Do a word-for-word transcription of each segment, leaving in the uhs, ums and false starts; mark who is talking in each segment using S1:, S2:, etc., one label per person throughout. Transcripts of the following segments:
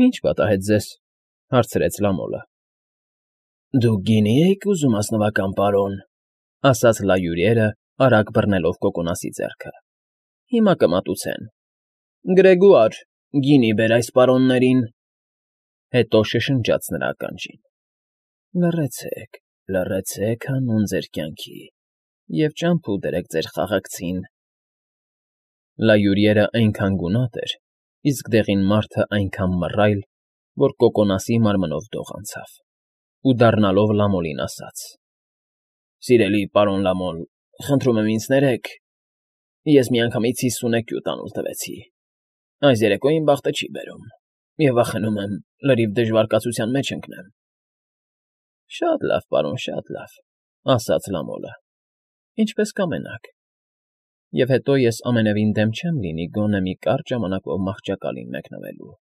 S1: Ի՞նչ պատահեց ձեզ,֊ հարցրեց Լամոլը։ ֊ Դուք գինի էիք ուզում, ազնվական պարոն,֊ ասաց լայուրիերը, արագ բռնելով կոկոնասի ձեռքը։֊ Հիմա կմատուցեն։ Գրեգոար, գինի բեր այս պարոններին… Հետո շշնջաց նրա ականջին. Լռեցեք, լռեցեք հանուն ձեր կյանքի և ճամփու դրեք ձեր խաղակցին… Լայուրիերը այնքան գունատ էր, իսկ դեղին մարդը այնքան մռայլ, որ կոկոնասի մարմնով դող անցավ, ու, դառնալով Լամոլին, ասաց. Սիրելի պարոն Լամոլ, խնդրում եմ ինձ ներեք, ես միանգամից հիսունեքյու տանուլ տվեցի, այս երեկո իմ բախտը չի բերում, և վախենում եմ լրիվ դժվար կացության մեջ ընկնեմ։ ֊ Շատ լավ, պարոն, շատ լավ,֊ ասաց Լամոլը,֊ ինչպես կամենաք, և հետո ես ամենևին դեմ չեմ լինի գոնե մի կարճ ժամանակով մահճակալին մեկնվելու։ ֊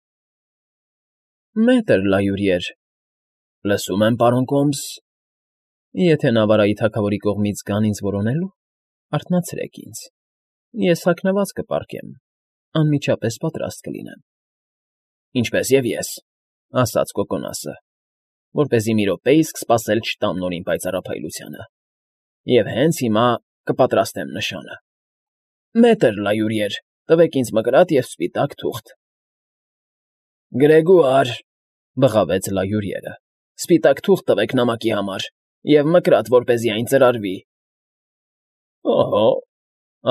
S1: Մետր Լայուրիեր… Լսում եմ, պարոն Կոմս… Եթե Նավարայի թագավորի կողմից գան ինձ որոնելու, արթնացրեք ինձ, ես թաքնված կպառկեմ, անմիջապես պատրաստ կլինեմ։ ֊ Ինչպես և ես,֊ ասաց կոկոնասը, որպեսզի մի րոպեիսկ սպասել չտամ նորին պայծառափայլությանը, և հենց հիմա կպատրաստեմ նշանը։ Մետր Լայուրիեր, տվեք ինձ մկրատ և սպիտակ թուղթ… ֊ Գրեգոար…֊ բղավեց Լայուրիերը,֊ Սպիտակ թուղթ տվեք նամակի համար և մկրատ, որպեսզի այն ծրարվի։ ֊ Ըհը,֊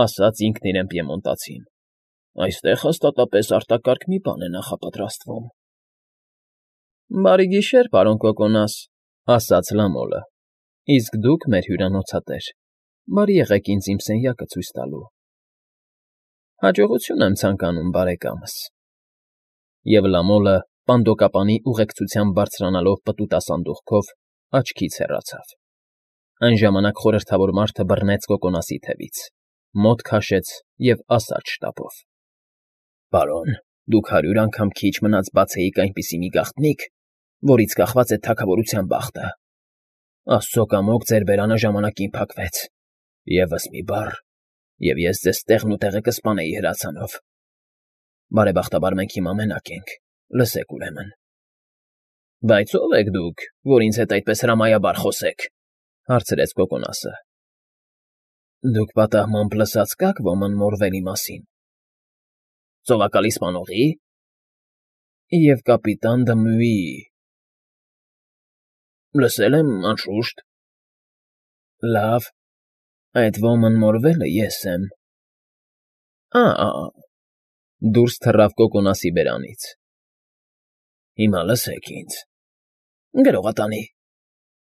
S1: ասաց ինքն իրեն պիեմոնտացին,֊ այստեղ հաստատապես արտակարգ մի բան է նախապատրաստվում։ ֊ Բարի գիշեր, պարոն Կոկոնաս,֊ ասաց Լամոլը,֊ իսկ դուք մեր հյուրանոցատեր, բարի եղեք ինձ իմ սենյակը ցույց տալու։ ֊ Հաջողություն եմ ցանկանում, բարեկամս… Եվ Լամոլը, պանդոկապանի ուղեկցությամբ բարձրանալով պտուտասանդուղքով, աչքից հեռացավ։ Այն ժամանակ խորհրդավոր մարդը բռնեց կոկոնասի թևից, մոտ քաշեց և ասաց շտապով. ֊ Պարոն, դուք հարյուր անգամ քիչ մնաց բացեիք այնպիսի մի գաղտնիք, որից կախված է թագավորության բախտը… Աստծո կամոք ձեր բերանը ժամանակին փակվեց… Եվս մի բառ, և ես ձեզ տեղն ու տեղը կսպանեի հրացանով… Բարեբախտաբար մենք հիմա մենակ ենք, լսեք ուրեմն… ֊ Բայց ո՞վ եք դուք, որ ինձ հետ այդպես հրամայաբար խոսեք,֊ հարցրեց կոկոնասը։ ֊ Դուք պատահմամբ լսած կաք ոմն Մորվելի մասին։ ֊ Ծովակալի սպանողի՞… Եվ կապիտան Դմյուի… ֊ Լսել եմ, անշուշտ։ ֊ Լավ, այդ ոմն Մորվելը ես եմ… Ա՜… Դուրս թռավ կոկոնասի բերանից։ ֊ Հիմա լսեք ինձ… Գրողատանի…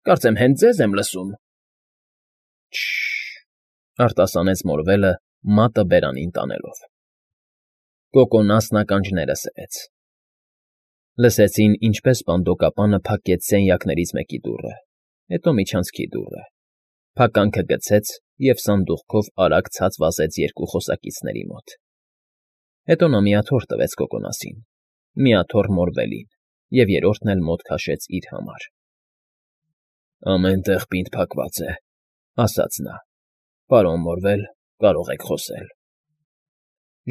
S1: Կարծեմ հենց ձեզ եմ լսում… ֊ Շը՜շ…֊ արտասանեց Մորվելը, մատը բերանին տանելով։ Կոկոնասն ականջները սրեց։ Լսեցին, ինչպես պանդոկապանը փակեց սենյակներից մեկի դուռը, հետո միջանցքի դուռը, փականքը գցեց և սանդուղքով արագ ցած վազեց երկու խոսակիցների մոտ։ Հետո նա մի աթոռ տվեց կոկոնասին, մի աթոռ Մորվելին և երրորդն էլ մոտ քաշեց իր համար։ ֊ Ամեն տեղ պինդ փակված է,֊ ասաց նա։֊ Պարոն Մորվել, կարող եք խոսել…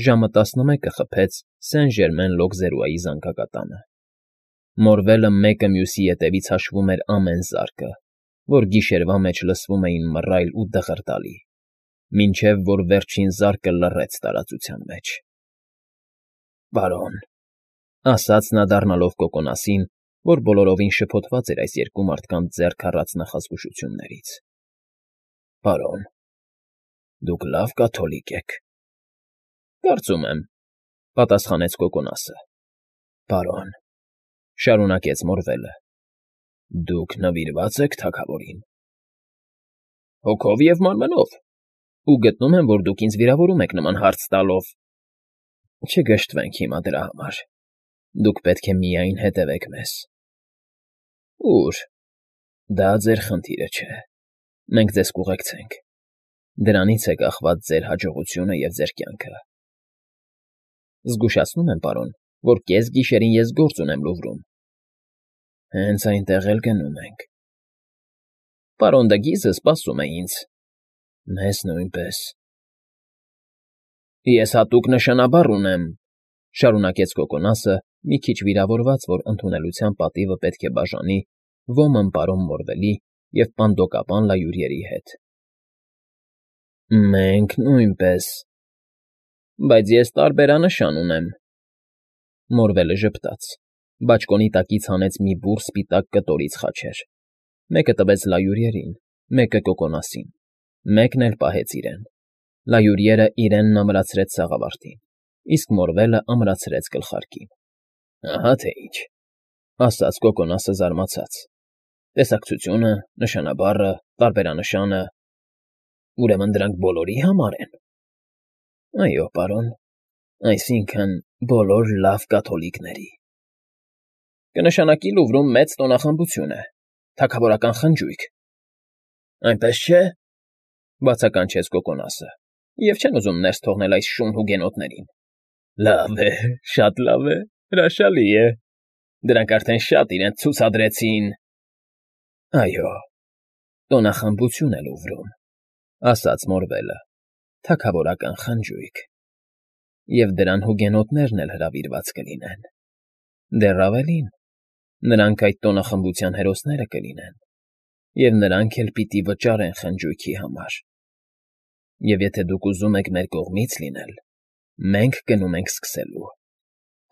S1: Ժամը տասնմեկը խփեց Սեն֊Ժերմեն֊Լոկզերուայի զանգակատանը։ Մորվելը մեկը մյուսի ետևից հաշվում էր ամեն զարկը, որ գիշերվա մեջ լսվում էին մռայլ ու դղրդալի, մինչև որ վերջին զարկը լռեց տարածության մեջ։ ֊ Պարոն,֊ ասաց նա, դառնալով կոկոնասին, որ բոլորովին շփոթված էր այս երկու մարդկանց ձեռք առած նախազգուշություններից,֊ Պարոն, դուք լավ կաթոլիկ եք… ֊ Կարծում եմ,֊ պատասխանեց կոկոնասը։ ֊ Պարոն,֊ շարունակեց Մորվելը,֊ դուք նվիրվա՞ծ եք թագավորին։ ֊ Հոգով և մարմնով… Ու գտնում եմ, որ դուք ինձ վիրավորում եք նման հարց տալով… Չգժտվենք հիմա դրա համար… Դուք պետք է միայն հետևեք մեզ… ֊ Ո՞ւր… Դա ձեր խնդիրը չէ… Մենք ձեզ կուղեկցենք… Դրանից է կախված ձեր հաջողությունը և ձեր կյանքը… Զգուշացնում եմ, պարոն, որ կեսգիշերին ես գործ ունեմ Լուվրում… Հենց այնտեղ էլ գնում ենք… Պարոն Դգիզը սպասում է ինձ… Մեզ նույնպես… Ես հատուկ նշանաբար ունեմ,֊ շարունակեց կոկոնասը, մի քիչ վիրավորված, որ ընդունելության պատիվը պետք է բաժանի ոմն պարոն Մորվելի և պանդոկապան լայուրիերի հետ։ ֊ Մենք նույնպես… Բայց ես տարբերանշան ունեմ… Մորվելը ժպտաց, բաճկոնի տակից հանեց մի բուռ սպիտակ կտորից խաչեր, մեկը տվեց լայուրիերին, մեկը՝ Կոկոնասին, մեկն էլ պահեց իրեն. լայուրիերը իրենն ամրացրեց սաղավարտին, իսկ Մորվելը ամրացրեց գլխարկին։ ֊ Ահա թե ինչ,֊ ասաց Կոկոնասը զարմացած,֊ տեսակցությունը, նշանաբառը, տարբերանշանը… Ուրեմն դրանք բոլորի համար են… ֊ Այո, պարոն, այսինքն՝ բոլոր լավ կաթոլիկների… ֊ Կնշանակի Լուվրում մեծ տոնախմբություն է, թագավորական խնջույք… ֊ Այնպես չէ՞…֊ բացականչեց Կոկոնասը,֊ և չեն ուզում ներս թողնել այս շուն հուգենոտներին… ֊ Լավ է, շատ լավ է, հրաշալի է… Դրանք արդեն շատ իրենց ցուցադրեցին… ֊ Այո, տոնախմբություն է Լուվրում,֊ ասաց Մորվելը,֊ թագավորական խնջույք… Եվ դրան հուգենոտներն էլ հրավիրված կլինեն… Դեռ ավելին, նրանք այդ տոնախմբության հերոսները կլինեն, և նրանք էլ պիտի վճարեն խնջույքի համար… Եվ եթե դուք ուզում եք մեր կողմից լինել, մենք գնում ենք սկսելու,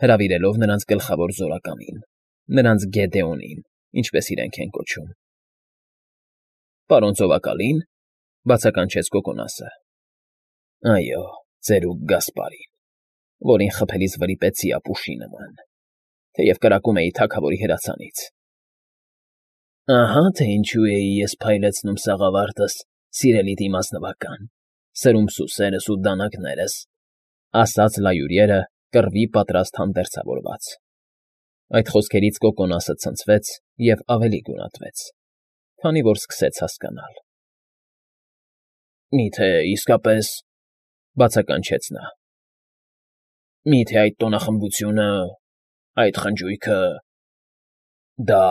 S1: հրավիրելով նրանց գլխավոր զորակամին, նրանց Գեդեոնին, ինչպես իրենք են կոչում։ ֊ Պարոն ծովակալի՞ն,֊ բացականչեց Կոկոնասը։ ֊ Այո, ծերուկ Գասպարին, որին խփելիս վրիպեցի ապուշի նման, թեև կրակում էի թագավորի հրացանից… Ահա թե ինչու էի ես փայլեցնում սաղավարտս, սիրելի դիմազնվական, սրում սուսերս ու դանակներս,֊ ասաց լայուրիերը, կռվի պատրաստ հանդերձավորված… Այդ խոսքերից Կոկոնասը ցնցվեց և ավելի գունատվեց, քանի որ սկսեց հասկանալ։ ֊ Մի՞թե իսկապես,֊ բացականչեց նա,֊ մի՞թե այդ տոնախմբությունը, այդ խնջույքը… դա…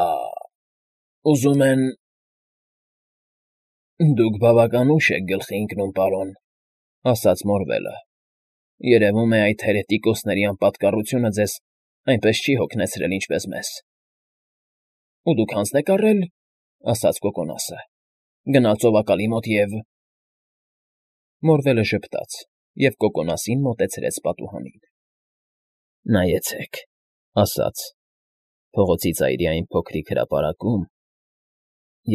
S1: ուզում են… ֊ Դուք բավական ուշ եք գլխի ընկնում, պարոն,֊ ասաց Մորվելը,֊ երևում է, այդ հերետիկոսների անպատկառությունը ձեզ այնպես չի հոգնեցրել, ինչպես մեզ… ֊ Ու դուք հանձն եք առել,֊ ասաց Կոկոնասը,֊ գնալ ծովակալի մոտ և… Մորվելը ժպտաց և Կոկոնասին մոտեցրեց պատուհանին։ ֊ Նայեցեք,֊ ասաց,֊ փողոցի ծայրի այն փոքրիկ հրապարակում…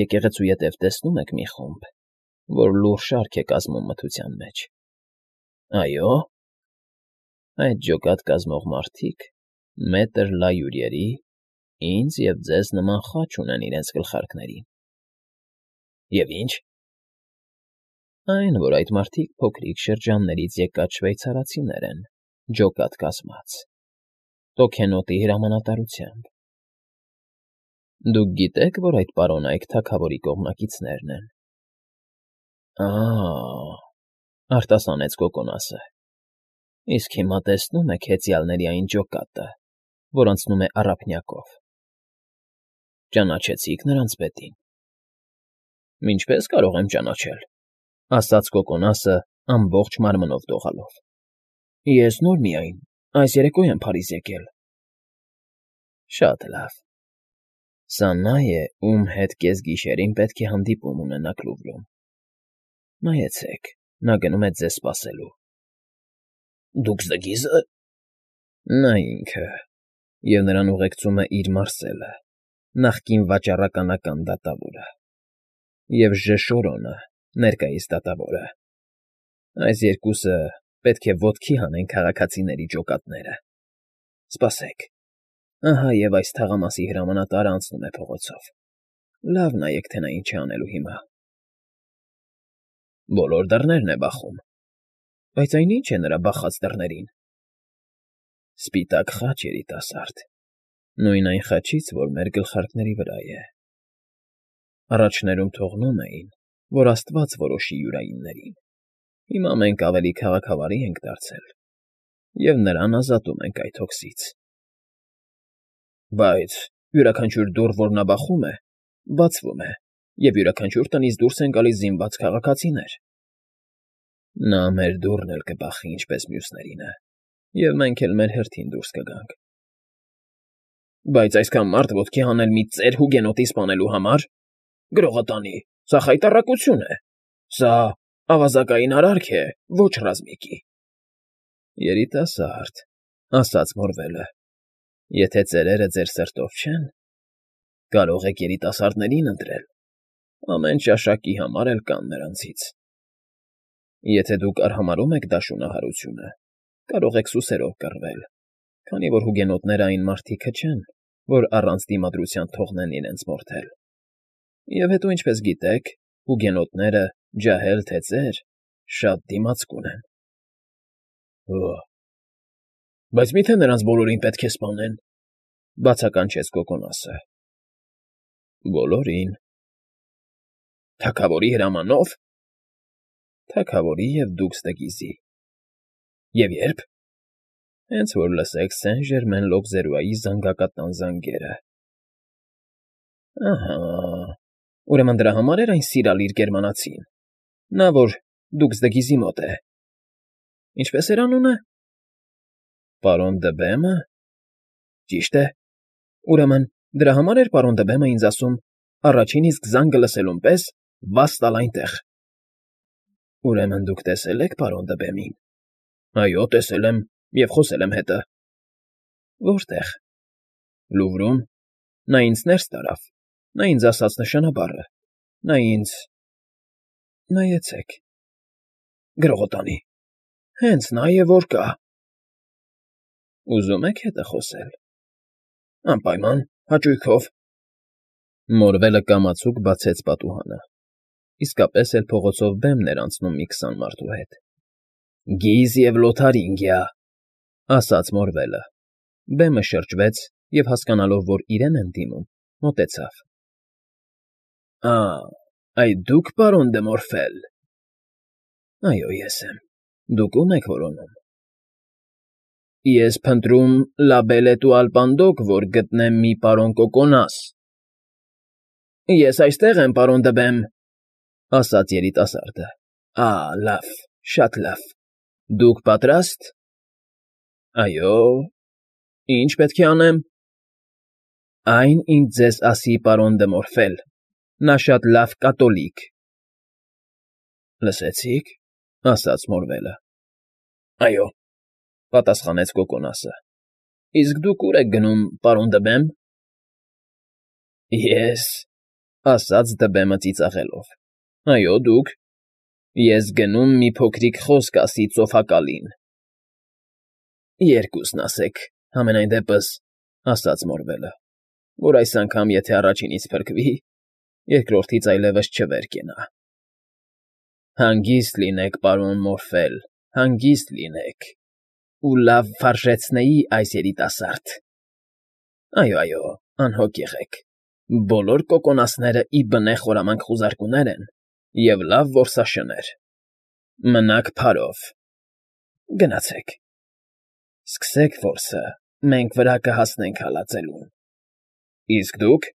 S1: Եկեղեցու ետև տեսնո՞ւմ եք մի խումբ, որ լուռ շարք է կազմում մթության մեջ… Այո՞… Այդ ջոկատ կազմող մարդիկ մետր լայուրիերի, ինձ և ձեզ նման խաչ ունեն իրենց գլխարկներին… ֊ Եվ ի՞նչ… Այն, որ այդ մարդիկ փոքրիկ շրջաններից եկած շվեյցարացիներ են, ջոկատ կազմած, Տոքենոտի հրամանատարությամբ… Դուք գիտե՞ք, որ այդ պարոնայք թագավորի կողմնակիցներն են… ֊ Ա՜…֊ արտասանեց Կոկոնասը,֊ Իսկ հիմա տեսնո՞ւմ եք հեծյալների այն ջոկատը, որ անցնում է առափնյակով… Ճանաչեցի՞ք նրանց պետին… ֊ Ինչպե՞ս կարող եմ ճանաչել,֊ ասաց Կոկոնասը ամբողջ մարմնով դողալով,֊ ես նոր միայն այս երեկո եմ Փարիզ եկել… ֊ Շատ լավ… Սա նա է, ում հետ կեսգիշերին պետք է հանդիպում ունենաք Լուվրում… Նայեցեք, նա գնում է ձեզ սպասելու… ֊ Դուքս Դգիզ֊ը… ֊ Նա ինքը… և նրան ուղեկցում է իր մարսելը, նախկին վաճառականական դատավորը… և Ժեշորոնը, ներկայիս դատավորը… Այս երկուսը պետք է ոտքի հանեն քաղաքացիների ջոկատները… Սպասեք… Ահա և այս թաղամասի հրամանատարը անցնում է փողոցով… Լավ նայեք, թե նա ինչ է անելու հիմա… Բոլոր դռներն է բախում… Բայց այն ի՞նչ է նրա բախած դռներին… Սպիտակ խաչ, երիտասարդ… Նույն այն խաչից, որ մեր գլխարկների վրա է… Առաջներում թողնում էին, որ աստված որոշի յուրայիններին… Հիմա մենք ավելի քաղաքավարի ենք դարձել և նրան ազատում ենք այդ հոգսից… ֊ Բայց յուրաքանչյուր դուռ, որ նա բախում է, բացվում է, և յուրաքանչյուր տնից դուրս են գալիս զինված քաղաքացիներ… ֊ Նա մեր դուռն էլ կբախի, ինչպես մյուսներինը, և մենք էլ մեր հերթին դուրս կգանք… Բայց այսքան մարդ ոտքի հանել մի ծեր հուգենոտի սպանելու համար… Գրողը տանի, սա խայտառակություն է, սա ավազակային արարք է, ոչ ռազմիկի։ ֊ Երիտասարդ,֊ ասաց Մորվելը,֊ եթե ծերերը ձեր սրտով չեն, կարող եք երիտասարդներին ընտրել, ամեն ճաշակի համար էլ կան նրանցից։ Եթե դուք արհամարհում եք դաշունահարությունը, կարող եք սուսերով կռվել, քանի որ հուգենոտները այն մարդիկը չեն, որ առանց դիմադրության թողնեն իրենց մորթել։ Եվ հետո, ինչպես գիտեք, հուգենոտները, ջահել թե ծեր, շատ դիմացկուն են։ ֊ Օ՜, բայց մի՞թե նրանց բոլորին պետք է սպանեն,֊ բացականչեց Կոկոնասը։ ֊ Բոլորին։ ֊ Թագավորի հրամանո՞վ։ ֊ Թագավորի և Դուքսդեգիզի։ ֊ Եվ ե՞րբ։ ֊ Հենց որ լսեք Սեն֊Ժերմեն֊Լոկզերուայի զանգակատան զանգերը։ ֊ Ահա, ուրեմն դրա համար էր այն սիրալիր գերմանացին, նա, որ Դուքսդեգիզի մոտ է… Ինչպե՞ս էր անունը։ ֊ Պարոն Դըբեմը։ ֊ Ճիշտ է, ուրեմն դրա համար էր պարոն Դըբեմը ինձ ասում առաջին իսկ զանգը լսելուն պես վաս տալ այնտեղ։ ֊ Ուրեմն դուք տեսել եք պարոն Դըբեմին։ ֊ Այո, տեսել եմ և խոսել եմ հետը։ ֊ Որտե՞ղ։ ֊ Լուվրում։ Նա ինձ ներս տարավ, նա ինձ ասաց նշանաբառը, նա ինձ… Նայեցեք… Գրողը տանի, հենց նա է, որ կա… ֊ Ուզում եք հետը խոսել։ ֊ Անպայման, հաճույքով… Մորվելը կամացուկ բացեց պատուհանը. իսկապես էլ փողոցով բեմն էր անցնում մի քսան մարդու հետ։ ֊ Գիզ և Լոթարինգիա,֊ ասաց Մորվելը։ Բեմը շրջվեց և, հասկանալով, որ իրեն են դիմում, մոտեցավ։ ֊ Ա՜, այդ դու՞ք, պարոն դը Մորֆել։ ֊ Այո, ես եմ, դուք ո՞ւմ եք որոնում։ ֊ Ես փնտրում Լաբել֊էտուալ Պանդոկ, որ գտնեմ մի պարոն Կոկոնաս։ ֊ Ես այստեղ եմ, պարոն Դըբեմ,֊ ասաց երիտասարդը։ ֊ Ա՜, լավ, շատ լավ… Դուք պատրա՞ստ։ ֊ Այո։ ֊ Ի՞նչ պետք է անեմ։ ֊ Այն ինձ ձեզ ասի պարոն դը Մորֆել, նա շատ լավ կատոլիկ… ֊ Լսեցի՞ք,֊ ասաց Մորվելը։ ֊ Այո,֊ պատասխանեց Կոկոնասը։ ֊ Իսկ դուք ո՞ւր եք գնում, պարոն Դըբեմ։ ֊ Ե՞ս,֊ ասաց Դըբեմը ծիծաղելով։ ֊ Այո, դուք։ ֊ Ես գնում մի փոքրիկ խոսք ասի ծոփակալին։ ֊ Երկուսն ասեք, համենայն դեպս,֊ ասաց Մորվելը, որ այս անգամ եթե առաջինից փրկվի, երկրորդից այլևս չվեր կենա։ ֊ Հանգիստ լինեք, պարոն Մորֆել, հանգիստ լինեք, ու լավ վարժեցնեի այս երիտասարդ… Այո, այո, անհոգ եղեք, բոլոր կոկոնասները ի բնե խորամանկ խուզարկուներ են և լավ որսաշներ… Մնաք քարով… Գնացեք… Սկսեք որսը, մենք վրա կհասնենք հալածելուն… Իսկ դուք…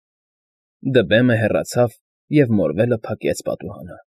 S1: Դըբեմը հեռացավ, և Մորվելը փակեց պատուհանը։